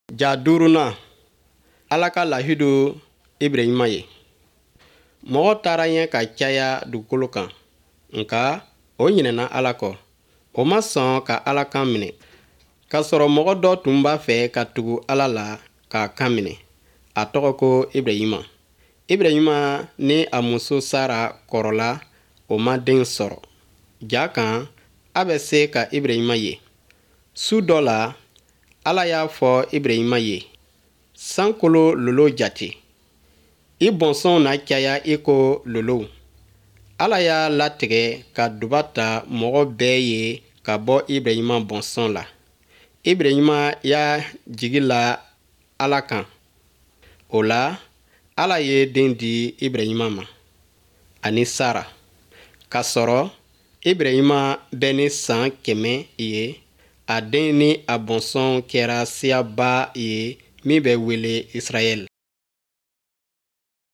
Ja duurunan, Ala ka lahidu Ibrahima ye. Mɔgɔ taara ɲɛ ka caya dugukolo kan, nka o ɲinɛna Ala kɔ. O ma sɔn ka Ala kan minɛ. K'a sɔrɔ mɔgɔ dɔ tun b'a fɛ ka tugu Ala la k'a kan minɛ. A tɔgɔ ko Ibrahima. Ibrahima ni a muso Sara kɔrɔla, o ma den sɔrɔ. Ja kan, a bɛ se ka Ibrahima ye. Su dɔ la, Ala y'a fɔ Ibrahima ye, sankolo lolo jate. I bɔnsɔnw na caya i ko lolow. Ala y'a latigɛ ka duba ta mɔgɔ bɛɛ ye ka bɔ Ibrahima bɔnsɔn la. Ibrahima y'a jigi la Ala kan. O la, Ala ye den di Ibrahima ma ani Sara. K'a sɔrɔ Ibrahima bɛ ni san 100 ye, a den ni a bɔnsɔnw kɛra siyaba ye min bɛ wele Israɛl.